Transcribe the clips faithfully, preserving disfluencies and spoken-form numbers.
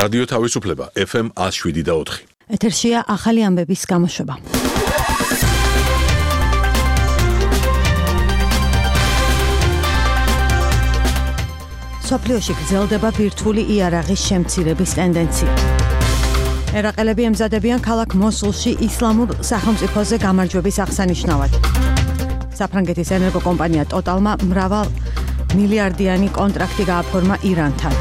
რადიო თავისუფლება ეფ ემ ათს შვიდი და ოთხი. ეთერშია ახალი ამბების გამოშვება. სოფლიოში გრძელდება ბირთვული იარაღის შემცირების ტენდენცია. ერაყელები ემზადებიან ქალაქ მოსულში ისლამურ სახელმწიფოზე გამარჯვების აღსანიშნავად. საფრანგეთის ენერგოკომპანია ტოტალმა მრავალ მილიარდიანი კონტრაქტი გააფორმა ირანთან.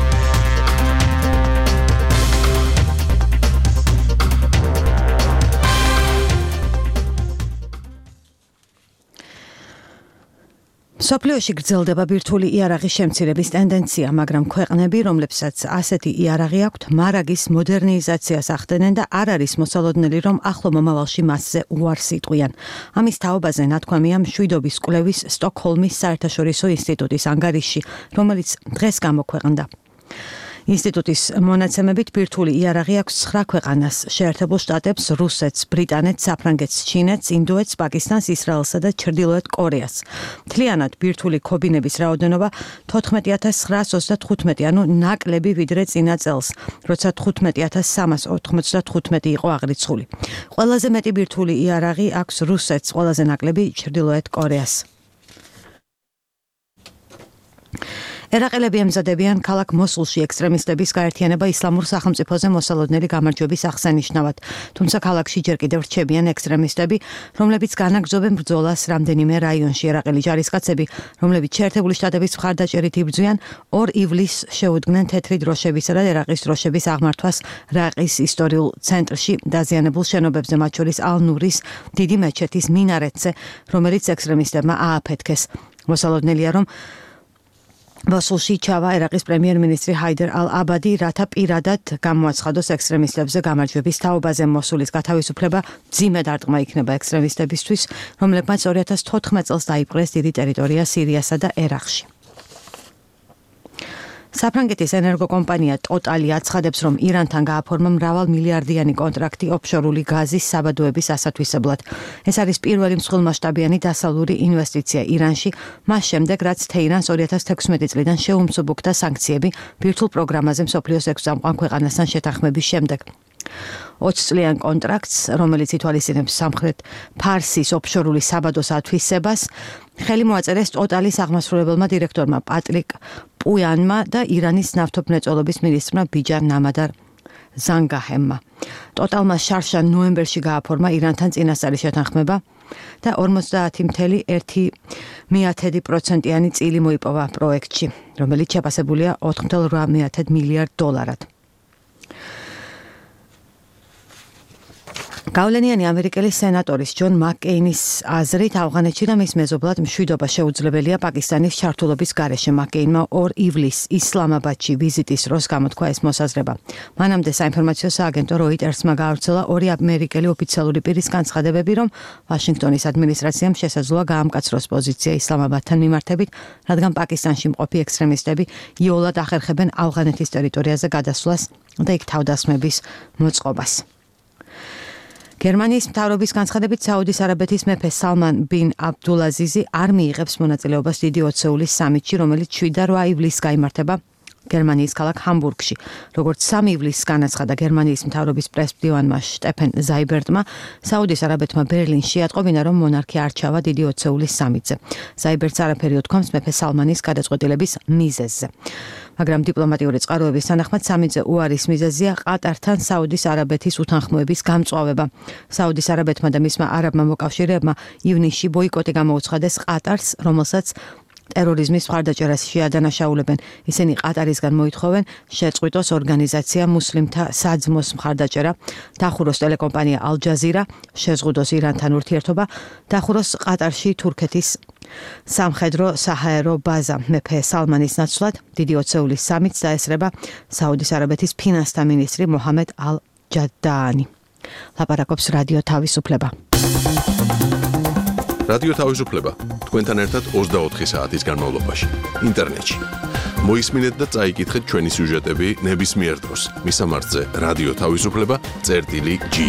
სოფლიოში გრძელდება ბირთვული იარაღის შემცირების ტენდენცია, მაგრამ ქვეყნები, რომლებსაც ასეთი იარაღი აქვთ, მარაგის მოდერნიზაციას ახდენენ და არ არის მოსალოდნელი, რომ ახლო მომავალში მასზე უარს იტყვიან. ამის თაობაზე ნათქვამია მშვიდობის კვლევის სტოკჰოლმის საერთაშორისო ინსტიტუტის ანგარიში, რომელიც დღეს გამოქვეყნდა. ინსტიტუტის მონაცემებით ბირთვული იარაღი აქვს ცხრა ქვეყანას: შეერთებულ შტატებს, რუსეთს, ბრიტანეთს, საფრანგეთს, ჩინეთს, ინდოეთს, პაკისტანს, ისრაელსა და ჩრდილოეთ კორეას. მთლიანად ბირთვული ქობინების რაოდენობა თოთხმეტი ათას ცხრაას ოცდათხუთმეტი, ანუ ნაკლები ვიდრე წინა წელს, როცა თხუთმეტი ათას სამას ოთხმოცდათხუთმეტი იყო აღრიცხული. ყველაზე მეტი ბირთვული იარაღი აქვს რუსეთს, ყველაზე ნაკლები ჩრდილოეთ კორეას. ერაყელები ემზადებიან ქალაქ მოსულში ექსტრემისტების გაერთიანება ისლამურ სახელმწიფოზე მოსალოდნელი გამარჯვების აღსანიშნავად, თუმცა ქალაქში ჯერ კიდევ რჩებიან ექსტრემისტები, რომლებიც განაგრძობენ ბრძოლას რამდენიმე რაიონში. ერაყელი ჯარისკაცები, რომლებიც შეერთებული შტატების მხარდაჭერით იბრძვიან, ორ ივლისს შეუდგნენ თეთრი დროშებისა და ერაყის დროშების აღმართვას რაყის ისტორიულ ცენტრში დაზიანებულ შენობებზე, მათ შორის ალ-ნურის დიდი მეჩეთის მინარეთზე, რომელიც ექსტრემისტებმა ააფეთქეს. მოსალოდნელია, რომ მოსულში ჩავა ერაყის პრემიერ-მინისტრი ჰაიდარ ალ-აბადი, რათა პირადად გამოაცხადოს ექსტრემისტებზე გამარჯვების თაობაზე. მოსულის გათავისუფლება მძიმე დარტყმა იქნება ექსტრემისტებისთვის, რომლებმაც ორი ათას თოთხმეტ წელს დაიპყრეს დიდი ტერიტორია სირიასა და ერაყში. საფრანგეთის ენერგოკომპანია ტოტალი აცხადებს, რომ ირანთან გააფორმა მრავალ მილიარდიანი კონტრაქტი ოფშორული გაზის საბადოების ასათვისებლად. ეს არის პირველი მსხვილმასშტაბიანი დასავლური ინვესტიცია ირანში, მას შემდეგ, რაც თეირანს ორი ათას თექვსმეტი წლიდან შეუმსუბუქდა სანქციები ბირთვულ პროგრამაზე მსოფლიოს ექვს წამყვან ქვეყანასთან შეთანხმების შემდეგ. ოცი წლიან კონტრაქტს, რომელიც ითვალისწინებს სამხრეთ ფარსის ოფშორული საბადოს ათვისებას, ხელი მოაწერეს ტოტალის აღმასრულებელმა დირექტორმა პატრიკ პუიანმა და ირანის ნავთობმრეწველობის მინისტრმა ბიჯარ ნამადარ ზანგაჰემმა. ტოტალმა შარშა ნოემბერში გააფორმა ირანთან წინასწარი შეთანხმება და ორმოცდაათი წუთი ერთი პროცენტიანი წილი მოიპოვა პროექტში, რომელიც შეფასებულია ოთხ წუთი რვა მილიარდ დოლარად. გავლენიანი ამერიკელი სენატორის ჯონ მაკკეინის აზრით, ავღანეთში და მის მეზობლად მშვიდობა შეუძლებელია პაკისტანის ჩართულობის გარეშე. მაკკეინმა ორ ივლისს ისლამაბადში ვიზიტის დროს გამოთქვა ეს მოსაზრება. მანამდე საინფორმაციო სააგენტო როიტერსმა გაავრცელა ორი ამერიკელი ოფიციალური პირის განცხადებები, რომ ვაშინგტონის ადმინისტრაციამ შესაძლოა გაამკაცროს პოზიცია ისლამაბადთან მიმართებით, რადგან პაკისტანში მყოფი ექსტრემისტები იოლად ახერხებენ ავღანეთის ტერიტორიაზე გადასვლას და იქ თავდასხმების მოწყობას. გერმანიის მთავრობის განცხადებით, საუდის არაბეთის მეფე სალმან ბინ აბდულაზიზი არ მიიღებს მონაწილეობას დიდი ოცეულის სამიტში, რომელიც შვიდ და რვა ივლისს გაიმართება გერმანიის ქალაქ ჰამბურგში. როგორც სამი ივლისს განაცხადა გერმანიის მთავრობის პრესმდივანმა შტეფენ ზაიბერტმა, საუდის არაბეთმა ბერლინში ატყობინა, რომ მონარქი არ ჩავა დიდი ოცეულის სამიტზე. ზაიბერტს არაფერი უთქვამს მეფე სალმანის გადაწყვეტილების მიზეზზე. მაგრამ დიპლომატიური წყაროების თანახმად სამიტზე უარის მიზეზია ყატართან საუდის არაბეთის უთანხმოების გამწვავება. საუდის არაბეთმა და მისმა არაბმა მოკავშირეებმა ივნისში ბოიკოტი გამოუცხადეს ყატარს, რომელსაც ტერორიზმის მხარდაჭერას შეადანაშაულებენ. ისინი ყატარისგან მოითხოვენ შეწყვიტოს ორგანიზაცია მუსლიმთა საძმოს მხარდაჭერა, დახუროს ტელეკომპანია ალ-ჯაზირა, შეზღუდოს ირანთან ურთიერთობა, დახუროს ყატარში თურქეთის სამხედრო საჰაერო ბაზა. მეფე სალმანის ნაცვლად დიდი ოცეულის სამიტს დაესწრება საუდის არაბეთის ფინანსთა მინისტრი მოჰამედ ალ-ჯადაანი. ლაპარაკობს რადიო თავისუფლება. რადიო თავისუფლება თქვენთან ერთად ოცდაოთხი საათის განმავლობაში ინტერნეტში. მოისმინეთ და წაიკითხეთ ჩვენი სიუჟეტები ნებისმიერ დროს. მისამართზე რადიო თავისუფლება წერტილი ჯი.